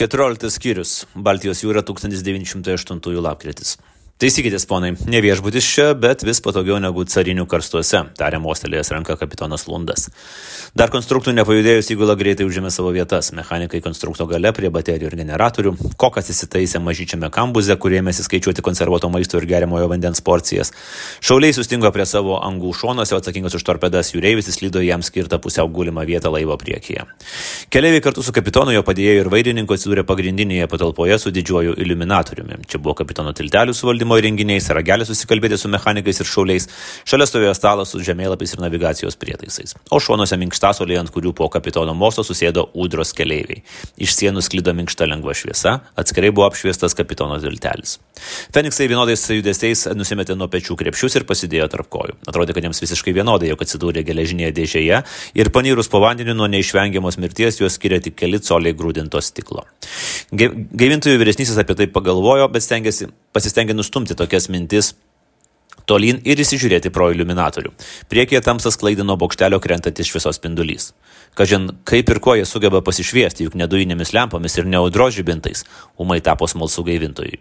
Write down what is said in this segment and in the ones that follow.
14 skyrius. Baltijos jūra 1908 lapkritis. Taisykitės, ponai, ne viešbutis čia, bet vis patogiau negu carinių karstuose, tarė mostelėjęs ranką kapitonas Lundas. Dar konstruktų nepajudėjus įgula greitai užėmė savo vietas. Mechanikai konstrukto gale prie baterijų ir generatorių, kokas įsitaisė mažyčiame kambuze, kur ėmėsi skaičiuoti konservuoto maisto ir geriamojo vandens porcijas. Šauliai sustingo prie savo angų šonuose, atsakingas už torpedas jūreivis įslydo jam skirtą pusiau gulimą vietą laivo priekyje. Keleiviai kartu su kapitonu, jo padėjėju ir vairininku atsidūrė pagrindinėje patalpoje su didžiuoju iliuminatoriumi. Čia buvo kapitono tiltelių suvaldymo įrenginiais, ragelis susikalbėti su mechanikais ir šauliais, šalia stovėjo stalas su žemėlapiais ir navigacijos prietaisais, o šonuose minkštasoliai, ant kurių po kapitono mosto susėdo ūdros keleiviai. Iš sienų sklido minkšta lengva šviesa, atskirai buvo apšviestas kapitono tiltelis. Feniksai vienodais judesiais nusimetė nuo pečių krepšius ir pasidėjo tarp kojų. Atrodė, kad jiems visiškai vienodai, jog atsidūrė geležinėje dėžėje ir panyrus po vandeniu nuo neišvengiamos mirties juos skiria tik keli coliai grūdinto stiklo. Gaivintojų vyresnysis apie tai pagalvojo, bet pasistengė nustumti tokias mintis tolyn ir įsižiūrėti pro iliuminatorių. Priekyje tamsą sklaidino bokštelio krentantis šviesos spindulys. Kažin, kaip ir ko jie sugeba pasišviesti, juk ne dujinėmis lempomis ir ne audros žibintais, ūmai tapo smalsu gaivintojui.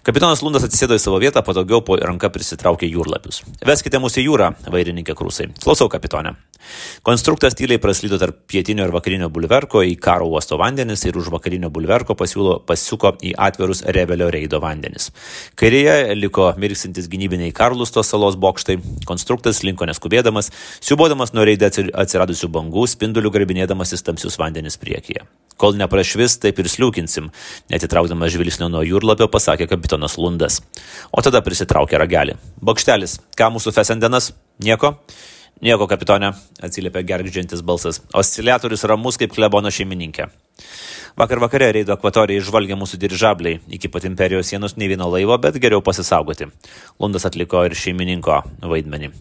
Kapitonas Lundas atsisėdo į savo vietą, patogiau po ranka prisitraukė jūrlapius. Veskite mus į jūrą, vairininkė Krusai. Klausau, kapitone. Konstruktas tyliai praslydo tarp pietinio ir vakarinio bulverko į karo uosto vandenis ir už vakarinio bulverko pasuko į atvirus Revelio reido vandenis. Kairėje liko mirksintis gynybiniai Karlusto salos bokštai. Konstruktas linko neskubėdamas, siubodamas nuo reide atsiradusių bangų, spindulių grabinėdamasis tamsius vandenis priekyje. Kol neprašvis, taip ir sliūkinsim, netitraukdamas žvilgsnio nuo jūrlapio, pasakė kapitonas Lundas. O tada prisitraukė ragelį. Bokštelis, ką mūsų fesendenas? Nieko? Nieko, kapitone, atsiliepė gergždžiantis balsas. Osciliatorius ramus kaip klebono šeimininkė. Vakar vakare reido akvatorijai žvalgė mūsų dirižabliai. Iki pat imperijos sienos nei vieno laivo, bet geriau pasisaugoti. Lundas atliko ir šeimininko vaidmenį.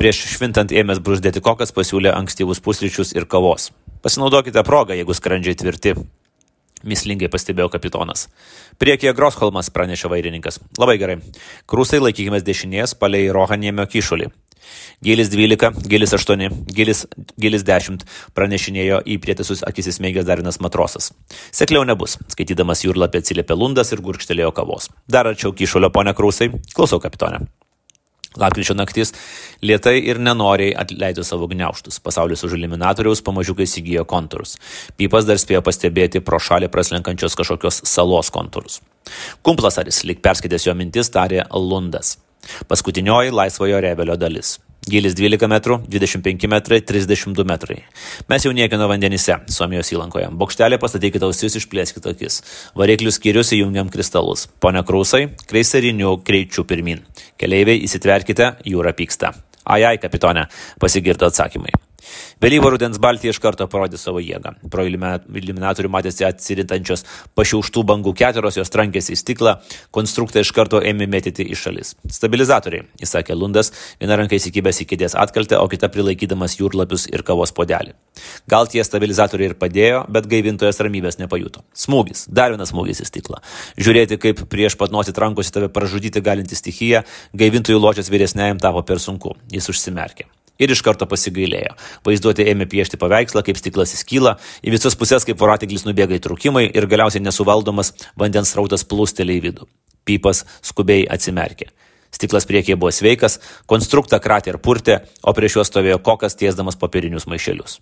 Prieš švintant ėmės bruzdėti kokas pasiūlė ankstyvus pusryčius ir kavos. Pasinaudokite progą, jeigu skrandžiai tvirti. Mislingai pastebėjo kapitonas. Priekyje Grosholmas, pranešė vairininkas. Labai gerai. Krusai, laikykimės dešinės palei Rohaniemio kyšulį. Gilis 12, gilis 8, gilis 10, pranešinėjo į prietaisus akis įsmeigęs darinas matrosas. Sekliau nebus, skaitydamas jūrlapį atsiliepė Lundas ir gurkštelėjo kavos. Dar arčiau kyšulio, ponia Krusai. Klausau, kapitone. Lapkričio naktis lėtai ir nenoriai atleido savo gniaužtus. Pasaulis už iliuminatoriaus pamažiukai įsigijo kontūrus. Pypas dar spėjo pastebėti pro šalį praslenkančios kažkokios salos kontūrus. Kumplasaris, lyg perskaitęs jo mintis, tarė Lundas. Paskutinioji laisvojo Revelio dalis. Gilis 12 metrų, 25 metrai, 32 metrai. Mes jau niekino vandenyse, Suomijos įlankoje. Bokštelė pastatykite ausis, išplėskite akis. Variklių skyrius įjungiam kristalus. Pone Krusai, kreisariniu greičiu pirmin. Keleiviai įsitverkite, jūra pyksta. Ai, kapitone, pasigirdo atsakymai. Vėlyvo rudens Baltija iš karto parodė savo jėgą. Pro iliuminatorių matėsi atsirintančios pašiauštų bangų keturos, jos trankėsi į stiklą, konstruktą iš karto ėmė mėtyti į šalis. Stabilizatoriai, įsakė Lundas, viena ranka įsikibęs į kėdės atkaltę, o kita prilaikydamas jūrlapius ir kavos puodelį. Gal tie stabilizatoriai ir padėjo, bet gaivintojas ramybės nepajuto. Smūgis, dar vienas smūgis į stiklą. Žiūrėti, kaip prieš pat nosį trankosi tave pražudyti galinti stichija, gaivintojų ločias vyresniajam tapo per sunku. Jis užsimerkė. Ir iš karto pasigailėjo. Vaizduotė ėmė piešti paveikslą, kaip stiklas įskyla, į visas pusės kaip voratiklis nubėga įtrūkimai ir galiausiai nesuvaldomas vandens srautas plūstelė į vidų. Pypas skubiai atsimerkė. Stiklas priekyje buvo sveikas, konstruktą kratė ir purtė, o prieš juos stovėjo kokas tiesdamas popierinius maišelius.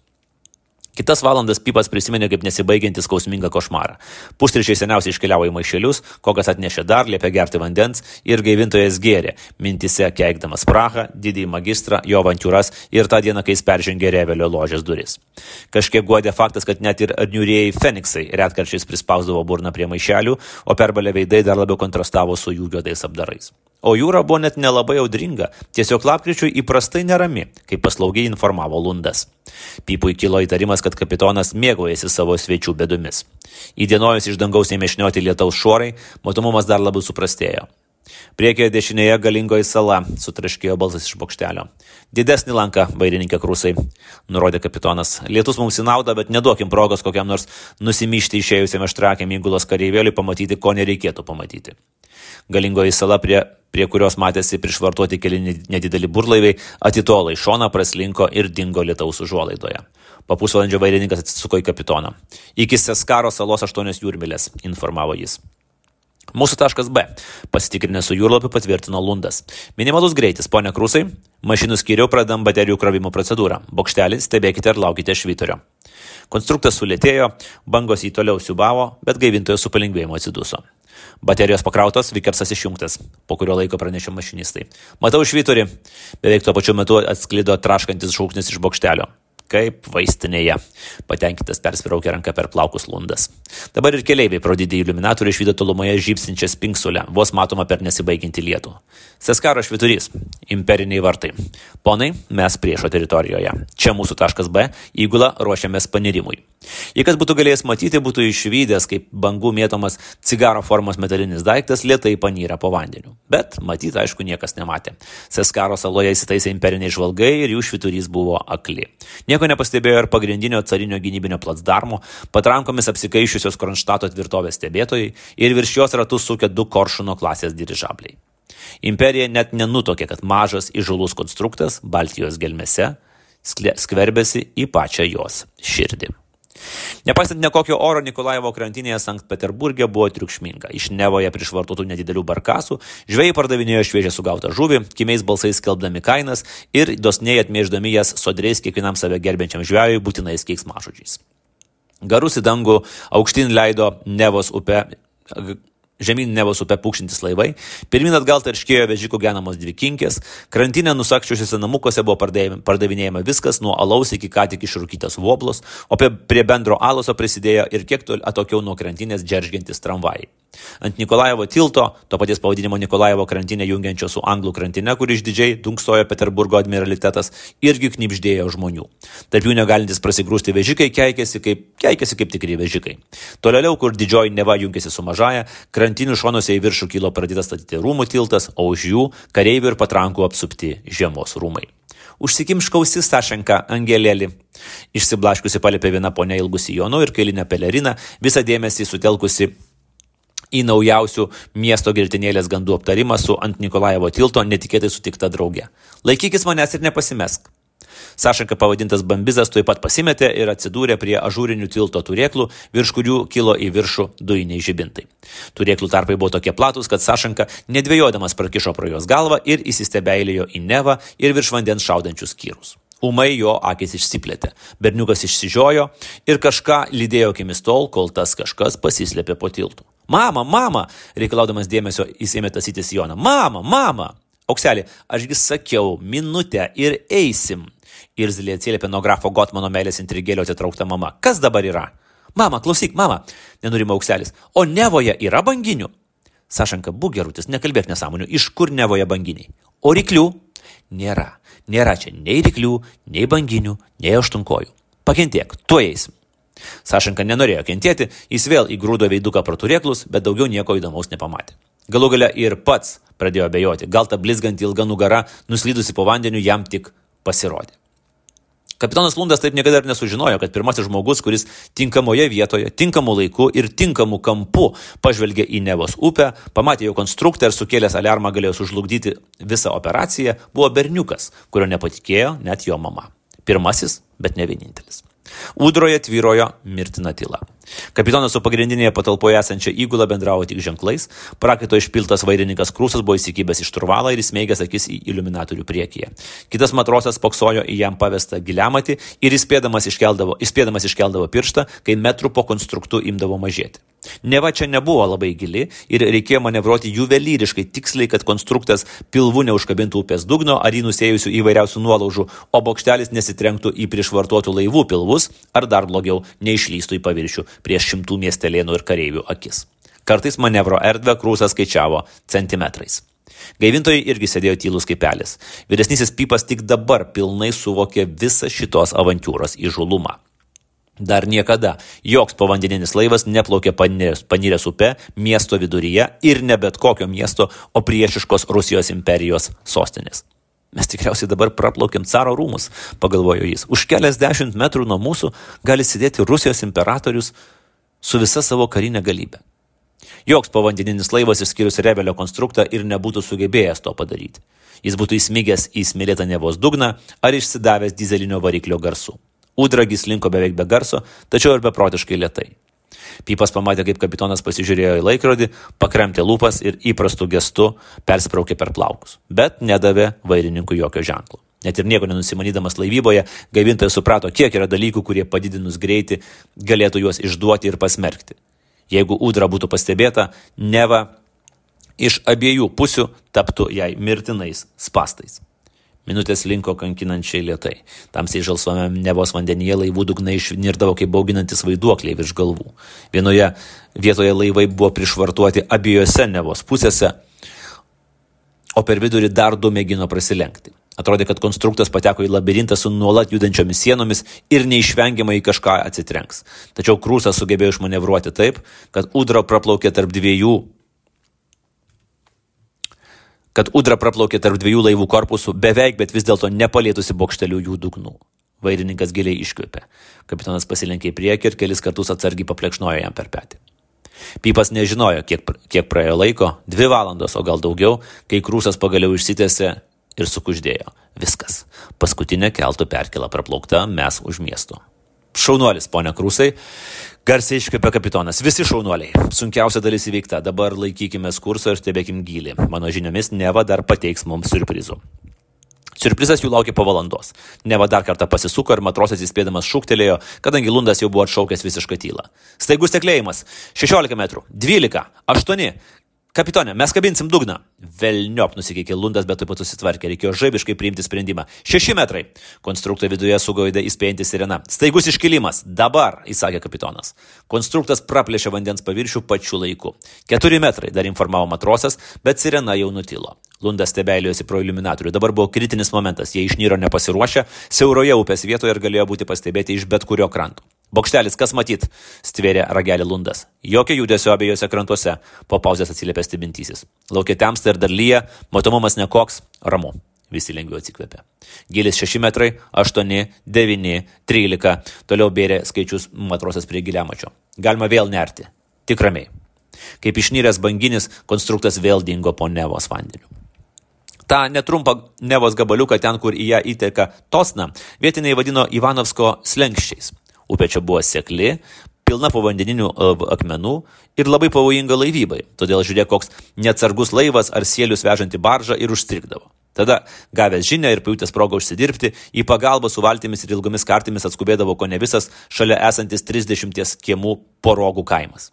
Kitas valandas Pypas prisiminė kaip nesibaigiantį skausmingą košmarą. Pusryčiai seniausiai iškeliavo į maišelius, kokas atnešė dar, liepė gerti vandens ir gaivintojas gėrė, mintise keikdamas Prahą, didįjį magistrą, jo avantiūras ir tą dieną, kai jis peržengė Revelio ložės duris. Kažkiek guodė faktas, kad net ir niūrieji Feniksai retkarčiais prispausdavo burną prie maišelių, o perbalę veidai dar labiau kontrastavo su jų juodais apdarais. O jūra buvo net nelabai audringa, tiesiog lapkričiui įprastai nerami, kaip paslaugiai informavo Lundas. Pypui kilo įtarimas, kad kapitonas mėgaujasi savo svečių bėdomis. Įdienojus iš dangaus ėmė šnioti lietaus šuorai, matomumas dar labiau suprastėjo. Priekyje dešinėje galingoji sala, sutraškėjo balsas iš bokštelio. Didesnį lanką, vairininkė Krusai, nurodė kapitonas. Lietus mums į naudą, bet neduokim progos kokiam nors nusimyšti išėjusiam aštrakiam įgulos kareivėliui pamatyti, ko nereikėtų pamatyti. Galingoji sala prie prie kurios matėsi prišvartuoti keli nedideli burlaiviai, atitolo į šoną, praslinko ir dingo lietaus užuolaidoje. Po pusvalandžio vairininkas atsisuko į kapitoną. Iki Seskaro salos 8 jūrmilės, informavo jis. Mūsų taškas B. Pasitikrinę su jūrlapiu patvirtino Lundas. Minimalus greitis, ponia Krūsai. Mašinų skyriau pradedam baterijų krovimo procedūrą. Bokštelį stebėkite ir laukite švyturio. Konstruktas sulėtėjo, bangos jį toliau siubavo, bet gaivintojas su palengvėjimu atsiduso. Baterijos pakrautos, Vikersas išjungtas, po kurio laiko pranešė mašinistai. Matau švyturį. Beveik tuo pačiu metu atsklido traškantis šūksnis iš bokštelio. Kaip vaistinėje. Patenkintas persviraukė ranką per plaukus Lundas. Dabar ir keleiviai pro didį iliuminatorių išvydo tolumoje žybsinčią spinksulę, vos matoma per nesibaigiantį lietų. Seskaro švyturys. Imperiniai vartai. Ponai, mes priešo teritorijoje. Čia mūsų taškas B, įgula ruošiamės panirimui. Jei kas būtų galėjęs matyti, būtų išvydęs, kaip bangų mėtomas cigaro formos metalinis daiktas lėtai panyra po vandeniu. Bet matyti, aišku, niekas nematė. Seskaro saloje įsitaisė imperiniai žvalgai ir jų švyturys buvo akli. Nieko nepastebėjo ir pagrindinio carinio gynybinio placdarmo, patrankomis apsikaišiusios Kronštato tvirtovės stebėtojai ir virš jos ratus sukę 2 Koršuno klasės dirižabliai. Imperija net nenutokė, kad mažas įžūlus konstruktas Baltijos gelmėse skverbėsi į pačią jos širdį. Nepaisant nekokio oro, Nikolaivo krantinėje Sankt Peterburge buvo triukšminga. Iš Nevoje prišvartuotų nedidelių barkasų žvejai pardavinėjo šviežią sugautą žuvį, kimiais balsais skelbdami kainas ir dosniai atmėždami jas sodriais kiekvienam save gerbiančiam žvejui būtinais keiksmažodžiais. Garus į dangų aukštyn leido Žemyn Nevos upę pūkšintis laivai, pirmin atgal tarškėjo vežikų genamos 2 kinkės, krantinė nusakščiusiuose namukuose buvo pardavinėjama viskas nuo alaus iki ką tik išrūkytas voblos, o prie bendro aloso prisidėjo ir kiek atokiau nuo krantinės džeržgiantis tramvajai. Ant Nikolaivo tilto, to paties pavadinimo Nikolaivo krantinė jungiančio su Anglų krantine, kur išdidžiai dunksojo Peterburgo admiralitetas, irgi knibždėjo žmonių. Tarp jų negalintis prasigrūsti vežikai keikėsi kaip tikri vežikai. Toliau, kur didžioji Neva jungėsi su mažaja, krantinių šonuose į viršų kilo pradėtas statyti rūmų tiltas, o už jų kareivių ir patrankų apsupti žiemos rūmai. Užsikimšk ausis, Sašenka, angelėlį. Išsiblaškusi palėpė viena ponia ilgu sijonu ir kailinę peleriną, visą dėmesį sutelkusi į naujausių miesto girtinėlės gandų aptarimą su ant Nikolaivo tilto netikėtai sutikta draugė. Laikykis manęs ir nepasimesk. Sašenka pavadintas Bambizas tuoj pat pasimetė ir atsidūrė prie ažūrinių tilto turėklų, virš kurių kilo į viršų dujiniai žibintai. Turėklų tarpai buvo tokie platus, kad Sašenka nedvėjodamas prakišo pro jos galvą ir įsistebeilėjo į Nevą ir virš vandens šaudančius kyrus. Ūmai jo akis išsiplėtė. Berniukas išsižiojo ir kažką lydėjo akimis tol, kol tas kažkas pasislėpė po tiltu. Mama, reikalaudamas dėmesio jis ėmė tasyti sijoną. Mama, Aukselį, ašgi sakiau, minutę ir eisim. Irzliai atsiliepė nuo grafo Gotmano meilės intrigėlio atitraukta mama. Kas dabar yra? Mama, klausyk, nenurimo Aukselis. O Nevoje yra banginių? Sašenka, būk gerutis, nekalbėk nesąmonių. Iš kur Nevoje banginiai? O ryklių? Nėra čia nei ryklių, nei banginių, nei aštunkojų. Pakentiek, tuoj eisim. Sašenka nenorėjo kentėti, jis vėl įgrūdo veiduką pro turėklus, bet daugiau nieko įdomaus nepamatė. Galų gale ir pats pradėjo abejoti, gal ta blizganti ilga nugara, nuslydusi po vandeniu, jam tik pasirodė. Kapitonas Lundas taip niekada ir nesužinojo, kad pirmasis žmogus, kuris tinkamoje vietoje, tinkamu laiku ir tinkamu kampu pažvelgė į Nevos upę, pamatė jo konstruktą ir sukėlęs aliarmą galėjo sužlugdyti visą operaciją, buvo berniukas, kurio nepatikėjo net jo mama. Pirmasis, bet ne vienintelis. Ūdroje tvyrojo mirtina tyla. Kapitonas su pagrindinėje patalpoje esančia įgula bendravo tik ženklais, prakaito išpiltas vairininkas Krūsas buvo įsikibęs iš turvalą ir įsmeigęs akis į iliuminatorių priekyje. Kitas matrosas spoksojo į jam pavestą giliamatį ir įspėdamas iškeldavo pirštą, kai metrų po konstruktu imdavo mažėti. Neva čia nebuvo labai gili ir reikėjo manevruoti juvelyriškai tiksliai, kad konstruktas pilvu neužkabintų upės dugno ar jį nusėjusių įvairiausių nuolaužų, o bokštelis nesitrenktų į prišvartuotų laivų pilvus ar dar blogiau neišlystų į paviršių prieš 100 miestelėnų ir kareivių akis. Kartais manevro erdvę Krūsas skaičiavo centimetrais. Gaivintojai irgi sėdėjo tylus kaip pelis. Vyresnysis Pypas tik dabar pilnai suvokė visą šitos avantiūros įžūlumą. Dar niekada joks povandeninis laivas neplaukė paniręs upe miesto viduryje ir ne bet kokio miesto, o priešiškos Rusijos imperijos sostinės. Mes tikriausiai dabar praplaukėm caro rūmus, pagalvojo jis. Už keliasdešimt metrų nuo mūsų gali sėdėti Rusijos imperatorius su visa savo karinė galybė. Joks povandeninis laivas išskyrus Rebelio konstruktą ir nebūtų sugebėjęs to padaryti. Jis būtų įsmigęs į smėlėtą Nevos dugną ar išsidavęs dizelinio variklio garsu. Ūdragis linko beveik be garso, tačiau ir beprotiškai lėtai. Pypas pamatė, kaip kapitonas pasižiūrėjo į laikrodį, pakremtė lūpas ir įprastu gestu persipraukė per plaukus, bet nedavė vairininkui jokio ženklo. Net ir nieko nenusimanydamas laivyboje, gaivintojas suprato, kiek yra dalykų, kurie padidinus greitį galėtų juos išduoti ir pasmerkti. Jeigu ūdra būtų pastebėta, neva iš abiejų pusių taptų jai mirtinais spastais. Minutės linko kankinančiai lėtai. Tamsiai žalsvame Nevos vandenyje laivų dugnai išnirdavo kaip bauginantis vaiduokliai virš galvų. Vienoje vietoje laivai buvo prišvartuoti abiejose Nevos pusėse, o per vidurį dar du mėgino prasilenkti. Atrodė, kad konstruktas pateko į labirintą su nuolat judančiomis sienomis ir neišvengiamai į kažką atsitrenks. Tačiau Krūsas sugebėjo išmanevruoti taip, kad ūdra praplaukė tarp dviejų laivų korpusų beveik, bet vis dėlto nepalietusi bokštelių jų dugnų. Vairininkas giliai iškvėpė. Kapitonas pasilenkė į priekį ir kelis kartus atsargiai paplekšnojo jam per petį. Pypas nežinojo, kiek praėjo laiko, 2 valandos, o gal daugiau, kai Krūsas pagaliau išsitęsė ir sukuždėjo. Viskas. Paskutinė keltų perkėla praplaukta, mes už miesto. Šaunuolis, ponia Krūsai, garsiai iškvėpė kapitonas. Visi šaunuoliai. Sunkiausia dalis įveikta. Dabar laikykimės kurso ir stebėkim gylį. Mano žiniomis Neva dar pateiks mums siurprizų. Siurprizas jų laukė po valandos. Neva dar kartą pasisuko ir matrosas įspėdamas šūktelėjo, kadangi Lundas jau buvo atšaukęs visišką tylą. Staigus teklėjimas. 16 metrų. 12. 8. Kapitone, mes kabinsim dugną. Velniop nusikeikė Lundas, bet taip pat susitvarkė. Reikėjo žaibiškai priimti sprendimą. 6 metrai. Konstrukto viduje sugaidė įspėjanti sirena. Staigus iškilimas. Dabar, įsakė kapitonas. Konstruktas praplėšė vandens paviršių pačiu laiku. 4 metrai, dar informavo matrosas, bet sirena jau nutilo. Lundas stebėjosi pro iliuminatorių. Dabar buvo kritinis momentas. Jie išnyro nepasiruošę, siauroje upės vietoje ir galėjo būti pastebėti iš bet kurio kranto. Bokštelis, kas matyt? Stvėrė ragelį Lundas. Jokio judesio abiejose krantuose, po pauzės atsiliepė stebintysis. Laukia temsta ir dar lyja, matomumas nekoks, ramu. Visi lengviau atsikvėpė. Gilis 6 metrai, 8, 9, 13. Toliau bėrė skaičius matrosas prie giliamačio. Galima vėl nerti. Tik ramiai. Kaip išnyręs banginis, konstruktas vėl dingo po Nevos vandeniu. Ta netrumpą Nevos gabaliuką ten, kur į ją įteka Tosna, vietiniai vadino Ivanovsko slenkščiais. Upė čia buvo sekli, pilna povandeninių akmenų ir labai pavojinga laivybai. Todėl žiūrėk, koks neatsargus laivas ar sielius vežanti baržą ir užstrigdavo. Tada, gavęs žinią ir pajutęs progą užsidirbti, į pagalbą su valtimis ir ilgomis kartimis atskubėdavo kone visas šalia esantis 30 kiemų Porogų kaimas.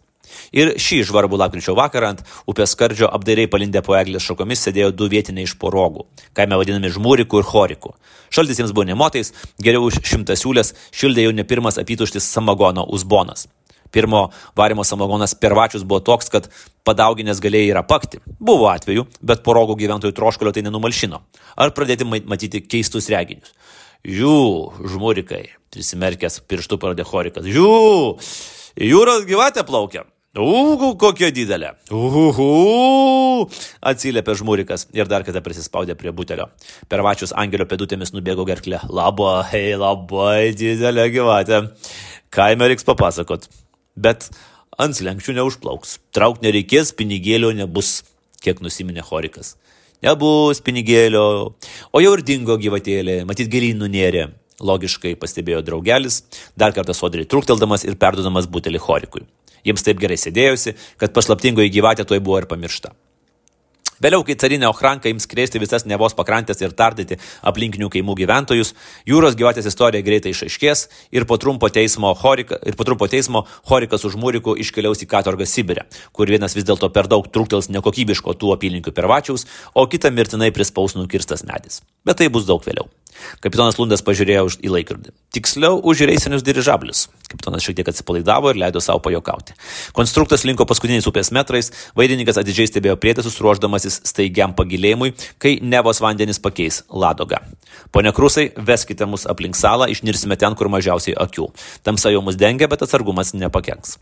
Ir šį žvarbų lapkričio vakarą ant upės skardžio apdairiai palindę po eglės šakomis sėdėjo 2 vietiniai iš Porogų, kaime vadinami Žmūriku ir Choriku. Šaltis jiems buvo nemotais, geriau už 100 siūlės šildė jau ne pirmas apytuštis samagono uzbonas. Pirmo varimo samagonas Pervačius buvo toks, kad padauginės galėjai ir apakti. Buvo atvejų, bet Porogų gyventojų troškulio tai nenumalšino. Ar pradėti matyti keistus reginius. Žiū, Žmūrikai, prisimerkęs pirštų parodė Chorikas. Žiū, jūros gyvatė plaukia. Kokia didelė. Atsiliepė Žmūrikas ir dar kartą prisispaudė prie butelio. Pervačius angelio pėdutėmis nubėgo gerklę. Labai didelė gyvatė. Kaime reiks papasakot. Bet ant slenkščių neužplauks. Traukt nereikės, pinigėlio nebus, kiek nusiminė Chorikas. Nebus pinigėlio. O jau ir dingo gyvatėlė, matyt gilyn nunėrė. Logiškai pastebėjo draugelis, dar kartą sodriai trukteldamas ir perduodamas butelį Chorikui. Jiems taip gerai sėdėjosi, kad paslaptingoji gyvatė tuoj buvo ir pamiršta. Vėliau, kai carinė ochranka ims krėsti visas Nevos pakrantės ir tardyti aplinkinių kaimų gyventojus, jūros gyvatės istorija greitai išaiškės ir po trumpo teismo Chorikas už Žmūriku iškeliaus į katorgą Sibirę, kur vienas vis dėlto per daug truktels nekokybiško tų apylinkių Pervačiaus, o kitą mirtinai prispaus nukirstas medis. Bet tai bus daug vėliau. Kapitonas Lundas pažiūrėjo į laikrodį. Tiksliau, už reisinius dirižablius. Kapitonas šiek tiek atsipalaidavo ir leido savo pajokauti. Konstruktas linko paskutiniais upės metrais, vairininkas atidžiai stebėjo prietaisus, ruošdamasis staigiam pagilėjimui, kai Nevos vandenis pakeis Ladogą. Pone Krūsai, veskite mus aplink salą, išnirsime ten, kur mažiausiai akių. Tamsa jau mus dengia, bet atsargumas nepakenks.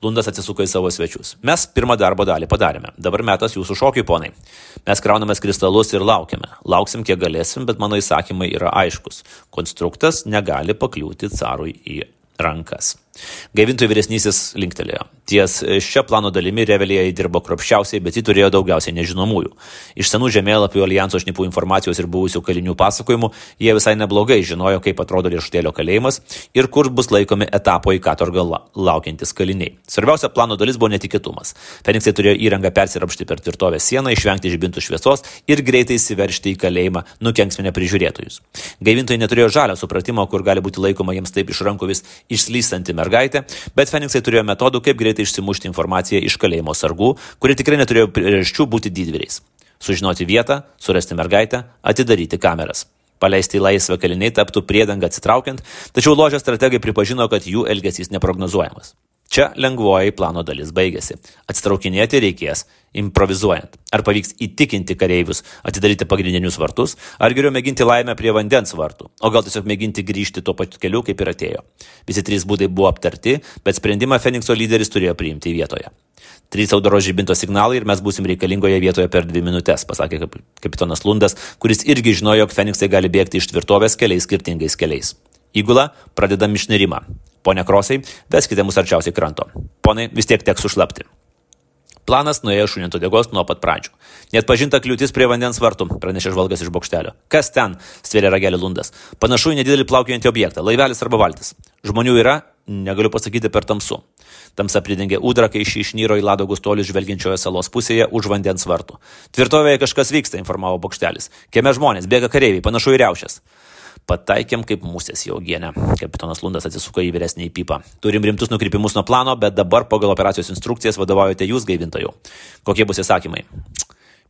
Lundas atsisuko į savo svečius. Mes pirmą darbo dalį padarėme. Dabar metas jūsų šokiui, ponai. Mes kraunamės kristalus ir laukiame. Lauksim, kiek galėsim, bet mano įsakymai yra aiškus. Konstruktas negali pakliūti carui į rankas. Gaivintojų vyresnysis linktelėjo. Ties šia plano dalimi Revelija dirbo kruopščiausiai, bet ji turėjo daugiausiai nežinomųjų. Iš senų žemėlapių, alijanso šnipų informacijos ir buvusių kalinių pasakojimų jie visai neblogai žinojo, kaip atrodo riešutėlio kalėjimas ir kur bus laikomi etapo į katorgą laukiantis kaliniai. Svarbiausia plano dalis buvo netikėtumas. Feniksai turėjo įrangą persirapšti per tvirtovės sieną, išvengti žibintų šviesos ir greitai įsiveržti į kalėjimą, nukenksminę prižiūrėtojus. Gaivintojai neturėjo žalio supratimo, kur gali būti laikoma jiems taip iš rankų vis išslystanti mergaitė, bet Feniksai turėjo metodų, kaip greitai išsimušti informaciją iš kalėjimo sargų, kurie tikrai neturėjo priežasčių būti didvyriais. Sužinoti vietą, surasti mergaitę, atidaryti kameras. Paleisti į laisvę kaliniai taptų priedangą atsitraukiant, tačiau ložės strategai pripažino, kad jų elgesys neprognozuojamas. Čia lengvoji plano dalis baigėsi. Atsitraukinėti reikės improvizuojant. Ar pavyks įtikinti kareivius atidaryti pagrindinius vartus, ar geriau mėginti laimę prie vandens vartų, o gal tiesiog mėginti grįžti tuo pačiu keliu, kaip ir atėjo. Visi 3 būdai buvo aptarti, bet sprendimą Fenikso lyderis turėjo priimti vietoje. 3 audros žibinto signalai ir mes būsim reikalingoje vietoje per 2 minutės, pasakė kapitonas Lundas, kuris irgi žinojo, jog Feniksai gali bėgti iš tvirtovės keliais skirtingais keliais. Įgula, pradedam išnerimą. Pone Krosai, veskite mus arčiausiai kranto. Ponai, vis tiek teks sušlapti. Planas nuėjo šuniant uodegos nuo pat pradžių. Net pažinta kliūtis prie vandens vartų, pranešė žvalgas iš bokštelio. Kas ten? Stvėrė ragelį Lundas. Panašu į nedidelį plaukiojantį objektą, laivelis arba valtis. Žmonių yra? Negaliu pasakyti per tamsu. Tamsa pridengė ūdrą, kai ši išnyro į Ladogos tolius žvelgiančioje salos pusėje už vandens vartų. Tvirtovėje kažkas vyksta, informavo bokštelis. Kieme žmonės, bėga kareiviai, panašu į riaušes. Pataikėm kaip musės į uogienę. Kapitonas Lundas atsisuko į vyresnį pipą. Turim rimtus nukrypimus nuo plano, bet dabar pagal operacijos instrukcijas vadovaujate jūs, gaivintojų. Kokie bus įsakymai?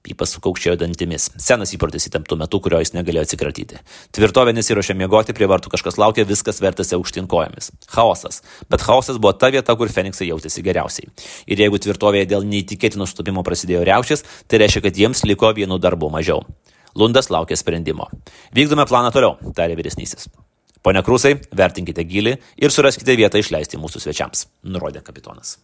Pipas sukaukščiojo dantimis. Senas įprotis įtemptų metu, kurio jis negalėjo atsikratyti. Tvirtovė nesiruošė miegoti, prie vartų kažkas laukė, viskas vertėsi aukštyn kojomis. Chaosas. Bet chaosas buvo ta vieta, kur Feniksai jautėsi geriausiai. Ir jeigu tvirtovėje dėl neįtikėtino sutapimo prasidėjo riaušės, tai reiškia, kad jiems liko vienų darbų mažiau. Lundas laukė sprendimo. Vykdome planą toliau, tarė vyresnysis. Pone Krusai, vertinkite gylį ir suraskite vietą išleisti mūsų svečiams, nurodė kapitonas.